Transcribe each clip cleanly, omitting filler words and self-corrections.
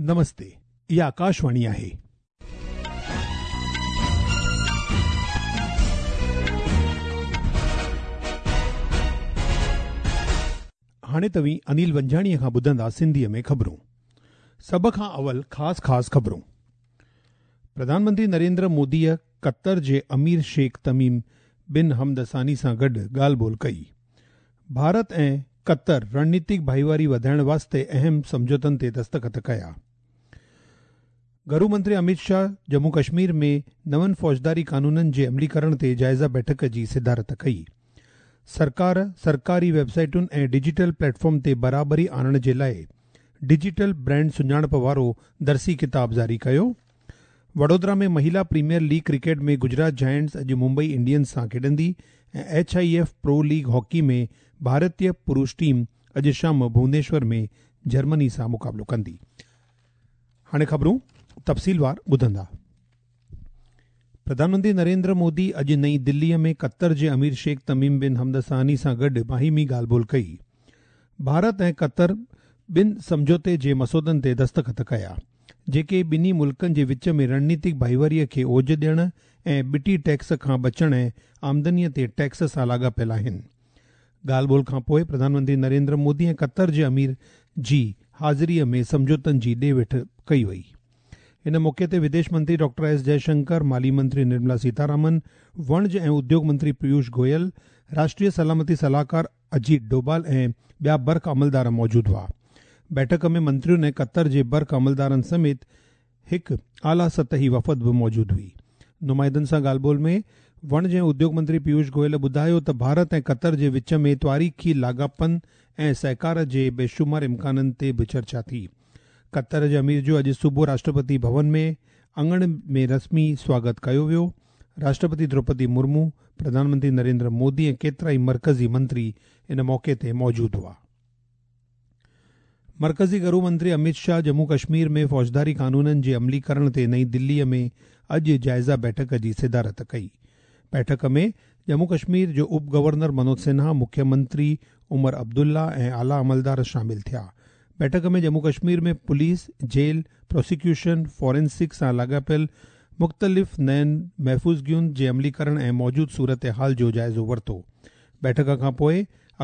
نمستي، اها آڪاشواڻي آهي. هاڻي توهين انيل ونجاڻيء کان ٻڌندا سنڌيء ۾ خبرون. سڀ کان اول خاص خاص خبرون. پرڌان منتري نريندر موديء قطر جي امير شيخ تميم بن حمد ثاني سان گڏ ڳالهه ٻولهه ڪئي. ڀارت ۽ قطر رڻنيتڪ ڀائيواري وڌائڻ واسطي اهم سمجهوتن تي دستخط ڪيا. گهرو منتري اميت شاهه ڄمون ڪشمير ۾ نون فوجداري قانونن جي عمليڪرڻ تي جائزه بيٺڪ جي صدارت ڪئي. سرڪار سرڪاري ويب سائيٽن ۽ ڊجيٽل پليٽ فارم تي برابري آڻڻ جي لاء ڊجيٽل برانڊ سڃاڻپ وارو درسي ڪتاب جاري ڪيو. Vadodara ۾ مهيلا premier league cricket ۾ Gujarat Giants اڄ ممبئي انڊينز سان کيڏندي ۽ H I F pro league hockey ۾ ڀارتي پرش ٽيم اڄ شام ڀونيشور ۾ جرمني سان مقابلو ڪندي. هاڻي خبرون تفصيلوار ٻڌندا. پرڌان منتري نريندر مودي اڄ نئين دليء ۾ قطر جي امير شيخ تميم بن حمد ثاني سان گڏ باهمي ڳالهه ٻولهه ڪئي. ڀارت ۽ قطر ٻن سمجهوتي جي مسودن تي دستخط ڪيا، جيڪي ٻنهي ملڪن جي وچ ۾ رڻنيتڪ ڀائيواري کي اوج ڏيڻ ۽ ٻٽي ٽيڪس کان بچڻ ۽ آمدني تي ٽيڪس سان لاڳاپيل آهن. ڳالهه ٻولهه کانپوء پرڌان منتري نريندر مودي ۽ قطر جي امير جي حاضريء ۾ سمجهوتن جي ڏي وٺ ڪئي وئي. ان موقعي تي وديش منتري ڊاڪٽر ايس جئه شنڪر، مالي منتري نرملا سيتارامن، وڻج ۽ اديوگ منتري پيوش گويل، راشٽريه سلامتي صلاحڪار اجيت ڊوبال ۽ ٻيا برک عملدار موجود هئا. بيٺڪ ۾ منترين ۽ قطر جي برک عملدارن سميت هڪ اعليٰ سطحي وفد به موجود هئي. نمائندن سان ڳالهه ٻولهه ۾ وڻج ۽ اديوگ منتري پيوش گويل ٻڌايو ته ڀارت ۽ قطر جي وچ ۾ تواريخي لاڳاپن ۽ سهڪار جي بيشمار امڪانن تي به چرچا ٿي. قطر جي امير جو اڄ صبح راشٽرپتي ڀون ۾ اڱڻ ۾ رسمي سواگت ڪيو ويو. راشٽرپتي دروپدي مرمو، پرڌان منتري نريندر مودي ۽ ڪيترائي مرڪزي منتري ان موقعي تي موجود هئا. مرڪزي گهرو منتري اميت شاهه ڄمون ڪشمير ۾ فوجداري قانونن جي عمليڪرڻ تي نئين دليء ۾ اڄ جائزه بيٺڪ جي صدارت ڪئي. بيٺڪ ۾ ڄمون ڪشمير جو اپ گورنر منوج سنها، مکيه منتري عمر عبدالله ۽ اعليٰ عملدار شامل ٿيا. بيٺڪ ۾ Jammu Kashmir ۾ police, jail, prosecution, forensic سان لاڳاپيل مختلف نين محفوظگين جي عمليڪرڻ ۽ موجود صورتحال جو جائزو ورتو. بيٺڪ کانپوء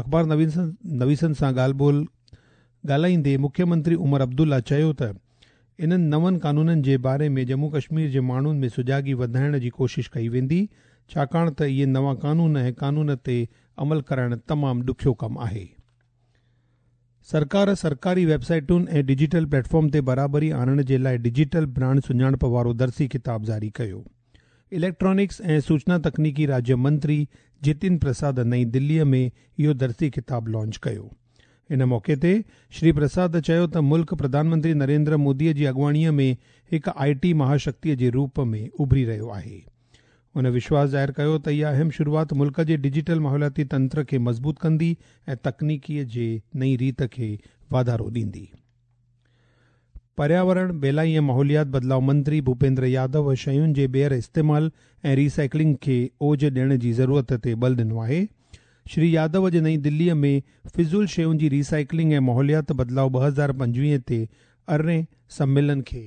اخبار نويسن سان ڳالهه ٻولهه ڳالهائيندي مکيه منتري عمر عبدالله چيو ته انهن نون قانونن جي باري ۾ ڄمون ڪشمير جي ماڻهن ۾ سجاڳي وڌائڻ جي ڪوشش ڪئي ويندي ڇاڪاڻ ته اهي نوان قانون ۽ قانون تي عمل ڪرائڻ تمام ڏکيو ڪم آهي. سرڪار سرڪاري ويب سائيٽن ۽ ڊجيٽل پليٽ فارم تي برابري آڻڻ جي لاء ڊجيٽل برانڊ سڃاڻپ وارو درسي ڪتاب جاري ڪيو. اليڪٽرانڪس ۽ سوچنا تڪنيڪي راجيه منتري جتين پرساد نئين دليء ۾ اهو درسي ڪتاب لانچ ڪيو. ان موقعي تي شري پرساد چيو ته ملڪ پرڌان منتري نريندر مودي جي اڳواڻيء ۾ هڪ آء ٽي مهاشڪتيء جي روپ ۾ اڀري رهيو آهي. هن وشواس ظاهر ڪيو ته اها اهم شروعات ملڪ جي ڊجيٽل ماحولياتي تنتر کي مضبوط ڪندي ۽ تڪنيڪيء جي نئين ريت کي واڌارو ڏيندي. پرياورڻ، ٻيلائي ۽ ماحوليات بدلاء منتري ڀوپيندر يادو شين جي ٻيهر استعمال ۽ ري سائيڪلنگ کي اوج ڏيڻ جي ضرورت تي ٻل ڏنو آهي. شري يادو اڄ نئين دليء ۾ فضول شين جي ري سائيڪلنگ ۽ ماحوليات بدلاء 2025 تي ارڙهين سميلن کي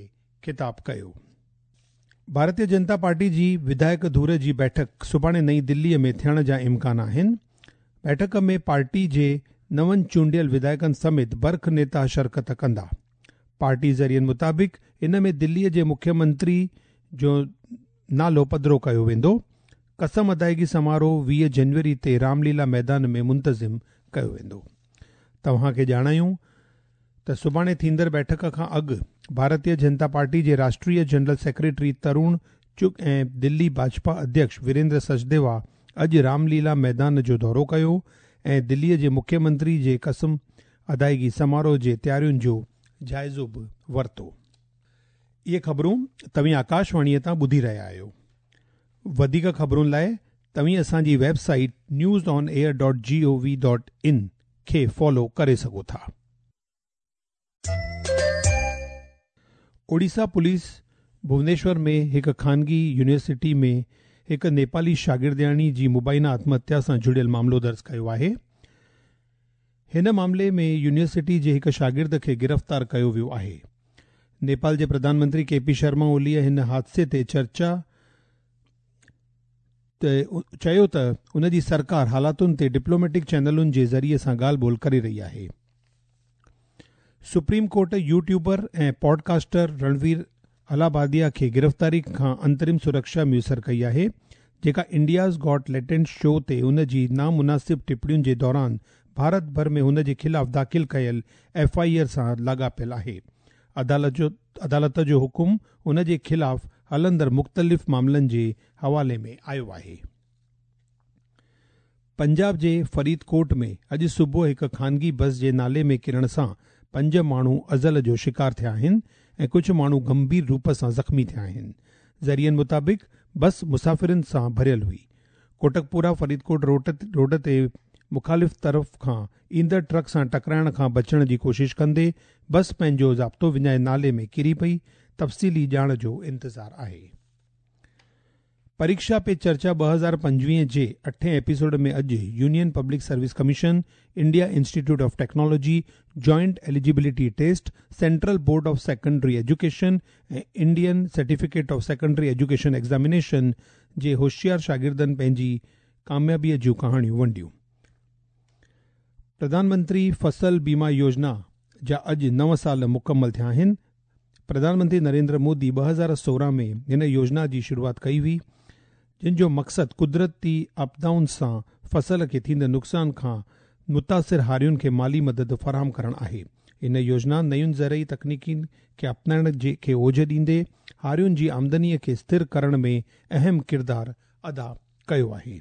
خطاب ڪيو. ڀارتيه جنتا پارٽي جي وڌايڪ ڌر جي بيٺڪ سڀاڻي نئين دليء ۾ ٿيڻ جا امڪان آهن. بيٺڪ ۾ پارٽي جي نون چونڊيل وڌايڪن سميت برک نيتا شرڪت ڪندا. پارٽي ذريعن مطابق ان ۾ دلي جي مکيه منتري جو نالو پڌرو ڪيو ويندو. قسم ادائيگي سماروهه 20 جنوري تي رام ليلا ميدان ۾ منتظم ڪيو ويندو. توهان کي ڄاڻايون ته سڀاڻي ٿيندڙ بيٺڪ کان اڳ ڀارتيه جنتا پارٽي جي راشٽريه جنرل سيڪريٽري ترون چگ ۽ دلي ڀاجپا اڌيڪش ويريندر سچديوا اڄ رام ليلا ميدان جو دورو ڪيو ۽ دلي جي مکيه منتري جي قسم ادائيگي سماروهه جي تيارين جو جائزو به ورتو. اهي خبرون توهين آڪاشواڻيء تان ٻڌي رهيا آهيو. وڌيڪ خبرن لاء توهين اسان جي website news on air dot G O V dot in کي فالو ڪري سگهو ٿا. اوڙيسا پوليس ڀونيشور ۾ هڪ خانگي يونيورسٽي ۾ هڪ نيپالي شاگردياڻي جي مبينا آتم هتيا سان جڙيل معاملو درج ڪيو آهي. هن معاملي ۾ يونيورسٽي جي هڪ شاگرد کي گرفتار ڪيو ويو آهي. نيپال جي پرڌان منتري ڪي پي شرما اوليء هن حادثي تي چرچا چيو ته ان جي سرڪار حالاتن تي ڊپلوميٽڪ چينلن جي ذريعي سان ڳالهه ٻولهه ڪري رهي آهي. Supreme court YouTuber ۽ podcaster Ranveer Allahbadia کي گرفتاري کان انترم سرڪشا ميسر ڪئي آهي، جيڪا انڊياز گاٽ ليٽنٽ شو تي هن جي نامناسب ٽپڻين جي دوران ڀارت ڀر ۾ هن جي خلاف داخل ڪيل ايف I R سان لاڳاپيل آهي. عدالت جو حڪم هن جي خلاف هلندڙ مختلف معاملن جي حوالي ۾ آيو آهي. پنجاب جي فريد ڪوٽ ۾ اڄ صبح هڪ خانگي بس جي نالي ۾ ڪرڻ سان پنج ماڻهو ازل جو شڪار ٿيا آهن ۽ ڪجهه ماڻهو گنڀير روپ سان زخمي ٿيا آهن. ذريعن مطابق بس مسافرن سان ڀريل هئي. ڪوٽڪپورا فريدڪوٽ روڊ تي مخالف طرف کان ايندڙ ٽرڪ سان ٽڪرائڻ کان بچڻ جي ڪوشش ڪندي بس پنهنجو ضابطو وڃائي نالي ۾ ڪري پئي، تفصيلي ڄاڻ جو انتظار آهي. پريڪشا پي چرچا 2025 جي اٺين ايپيسوڊ ۾ اڄ union public service commission, India institute of technology, joint eligibility test, central board of secondary education ۽ Indian certificate of secondary education examination جي هوشيار شاگردن پنهنجي ڪاميابي جون ڪهاڻيون ونڊيون. پرڌان منتري فصل بيما يوجنا جا اڄ نو سال مڪمل ٿيا آهن. پرڌان منتري نريندر مودي 2016 ۾ هن يوجنا جي شروعات ڪئي هئي، جن جو مقصد قدرتي آپدائن سان فصل کي ٿيندڙ نقصان کان متاثر هارين کي مالي مدد فراهم ڪرڻ آهي. هن يوجنا نين زرعي تڪنيڪين کي اپنائڻ کي اوج ڏيندي هارين جي آمدني کي سٿر ڪرڻ ۾ اهم ڪردار ادا ڪيو آهي.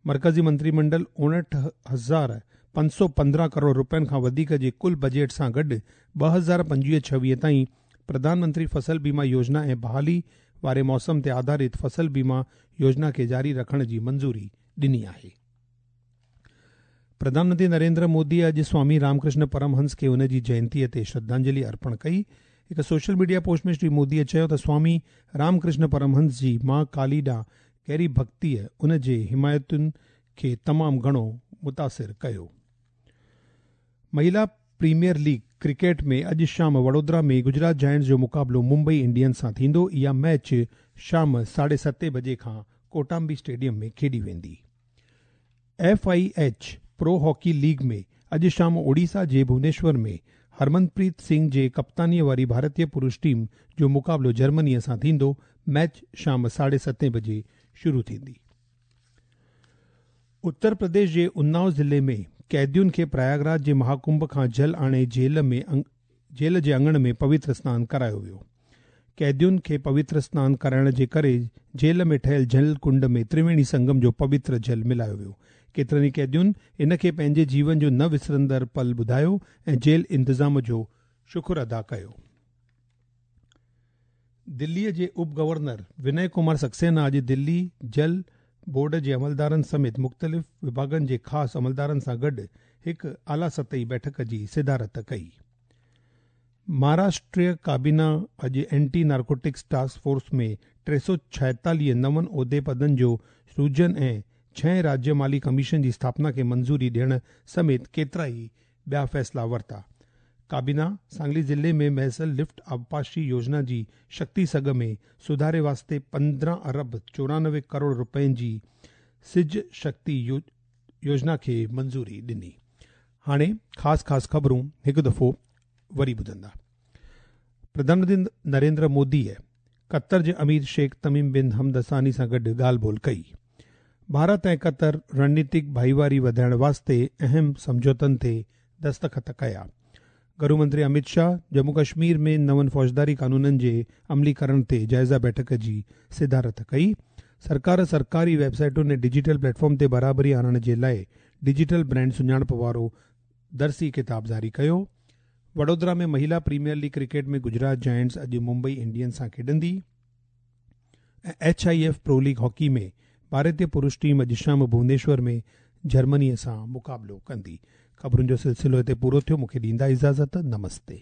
مرڪزي منتري منڊل 59,515 ڪروڙ رپين کان وڌيڪ جي ڪل بجيٽ سان گڏ 2025-26 تائين پرڌان منتري فصل بيما يوجنا ۽ بحالي واري موسم تي آڌارت فصل بيما يوجنا کي جاري رکڻ جي منظوري ڏني آهي. پرڌان منتري نريندر مودي اڄ سوامي رامڪرشن پرمهنس کي ان جي جينتيء تي شرڌانجلي ارپڻ ڪئي. هڪ سوشل ميڊيا پوسٽ ۾ شري موديء چيو ته سوامي رامڪرشن پرمهنس جي مان ڪالي ڏانهن گهري ڀڳتيء ان جي حمايتن کي تمام گهڻو متاثر ڪيو. مهيلا پريميئر ليگ ڪرڪيٽ ۾ اڄ شام وڙودرا ۾ گجرات جائنٽس جو مقابلو ممبئي انڊينز سان ٿيندو. اها ميچ شام ساڍي ستين بجي کان ڪوٽامبي اسٽيڊيم ۾ کيڏي ويندي. F I H pro hockey league ۾ اڄ شام اوڊيسا جي ڀونيشور ۾ هرمنپريت سنگهه جي ڪپتانيء واري ڀارتي پرش ٽيم جو مقابلو جرمنيء سان ٿيندو. ميچ شام ساڍي ستين بجي شروع ٿيندي. اتر پرديش جي اناؤ ضلعي ۾ قيدين کي پرياگراج جي مهاڪنڀ کان جل آڻي جيل ۾ جيل جي اڱڻ ۾ پوتر سنان ڪرايو ويو. قيدين کي پوتر سنان ڪرائڻ جي ڪري جيل ۾ ٺهيل جل ڪنڊ ۾ ترويڻي سنگم جو پوتر جل ملايو ويو. ڪيترن ئي قيدين ان کي پنهنجي جيون جو نه وسرندڙ پل ٻڌايو ۽ جيل انتظام جو شڪر ادا ڪيو. دليء جي اپ گورنر ونئي ڪمار سڪسينا اڄ دلي جل بورڊ جي عملدارن سميت مختلف وڀاڳن جي خاص عملدارن سان گڏ هڪ اعليٰ سطحي بيٺڪ جي صدارت ڪئي. مهاراشٽر ڪابينا اڄ اينٽي نارڪوٽڪس ٽاسڪ فورس ۾ 346 نون عهدي پدن جو سرجن ۽ ڇهين راجيه مالي ڪميشن جي اسٿاپنا کي منظوري ڏيڻ سميت ڪيترائي ٻيا فيصلا ورتا. ڪابينا سانگلي ضلعي ۾ مهيسر لفٽ آبپاشي يوجنا جي شڪتي سگهه ۾ سڌاري واسطي 15 ارب 94 ڪروڙ رپين جي سج شڪتي يوجنا کي منظوري ڏني. هاڻي خاص خاص خبرون هڪ دفعو وري ٻڌندا. پرڌان منتري نريندر موديء قطر جي امير شيخ تميم بن حمد ثاني سان گڏ ڳالهه ٻولهه ڪئي. ڀارت ۽ قطر رڻنيتڪ ڀائيواري وڌائڻ واسطي اهم سمجهوتن تي دستخط ڪيا. گهرو منتري امت شاهه ڄمون ڪشمير ۾ نون فوجداري قانونن جي عملي ڪرڻ تي جائزه بيٺڪ جي صدارت ڪئي. سرڪار سرڪاري ويب سائيٽن ۽ ڊجيٽل پليٽ فارم تي برابري آڻڻ جي لاء ڊجيٽل برانڊ سڃاڻپ وارو درسي ڪتاب جاري ڪيو. Vadodara ۾ مهيلا premier league cricket ۾ Gujarat giants اڄ ممبئي انڊينز سان کيڏندي ۽ H I F pro league hockey ۾ ڀارتي پرش ٽيم اڄ شام ڀونيشور ۾ جرمني سان مقابلو ڪندي. خبرن جو سلسلو هتي پورو ٿيو. مون کي ڏيندا اجازت. نمستي.